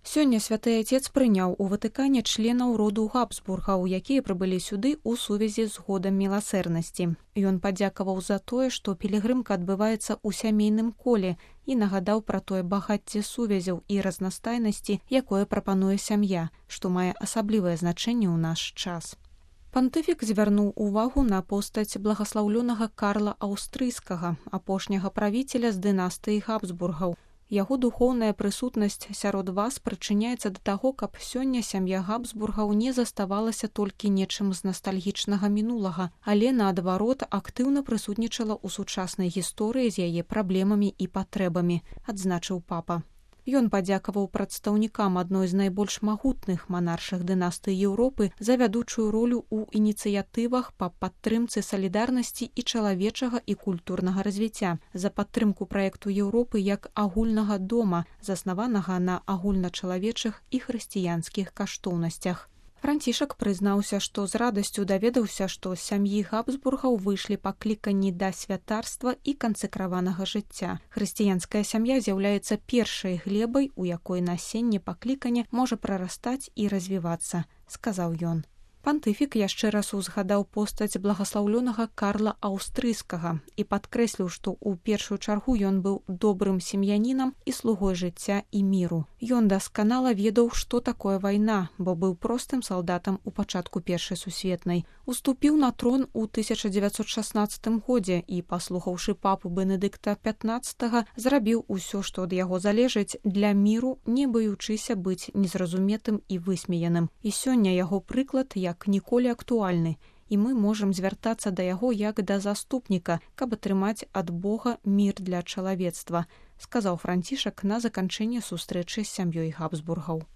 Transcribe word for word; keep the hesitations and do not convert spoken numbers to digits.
Сёння святы Отец прыняў у Ватыкане членаў роду Габсбургаў, якія прыбылі сюды ў сувязі з годам міласэрнасці. Ён падзякаваў за тое, што пілігрымка адбываецца ў сямейным коле і нагадаў пра тое багацце сувязяў і разнастайнасці, якое прапануе сям'я, што мае асаблівае значэнне ў наш час. Пантыфік звярнуў увагу на постаць благаслаўлёнага Карла Аўстрыйскага, апошняга правіцеля з дынастыі Габсбургаў. Яго духоўная прысутнасць сярод вас прычыняецца да таго, каб сёння сям'я Габсбургаў не заставалася толькі нечым з настальгічнага мінулага, але, наадварот, актыўна прысутнічала ў сучаснай гісторыі з яе праблемамі і патрэбамі, адзначыў папа. Ён падзякаваў прадстаўнікам адной з найбольш магутных манаршых дынастый Еўропы за вядучую ролю ў ініцыятывах па падтрымцы салідарнасці і чалавечага і культурнага развіцця, за падтрымку праекту Еўропы як агульнага дома, заснаванага на агульначалавечых і хрысціянскіх каштоўнасцях. Францішак прызнаўся, што з радасцю даведаўся, што з сям'і Габсбургаў выйшлі пакліканні да святарства і кансекраванага жыцця. Хрысціянская сям'я з'яўляецца першай глебай, у якой насенне паклікання можа прарастаць і развівацца, сказаў ён. Пантыфік яшчэ раз узгадаў постаць благаслаўлёнага Карла Аўстрыйскага і падкрэсліў, што ў першую чаргу ён быў добрым сем'янінам і слугой жыцця і міру. Ён дасканала ведаў, што такое вайна, бо быў простым салдатам у пачатку першай сусветнай. Уступіў на трон у тысяча дзевяцьсот шаснаццатым годзе і, паслухаўшы папу Бенедыкта пятнаццатага, зрабіў усё, што ад яго залежыць, для міру, не баючыся быць незразуметым і высмеяным. І сёння яго прыклад як ніколі актуальны, і мы можам звяртацца да яго як да заступніка, каб атрымаць ад Бога мір для чалавецтва, сказаў Францішак на заканчэнне сустрэчы з сям'ёй Габсбургаў.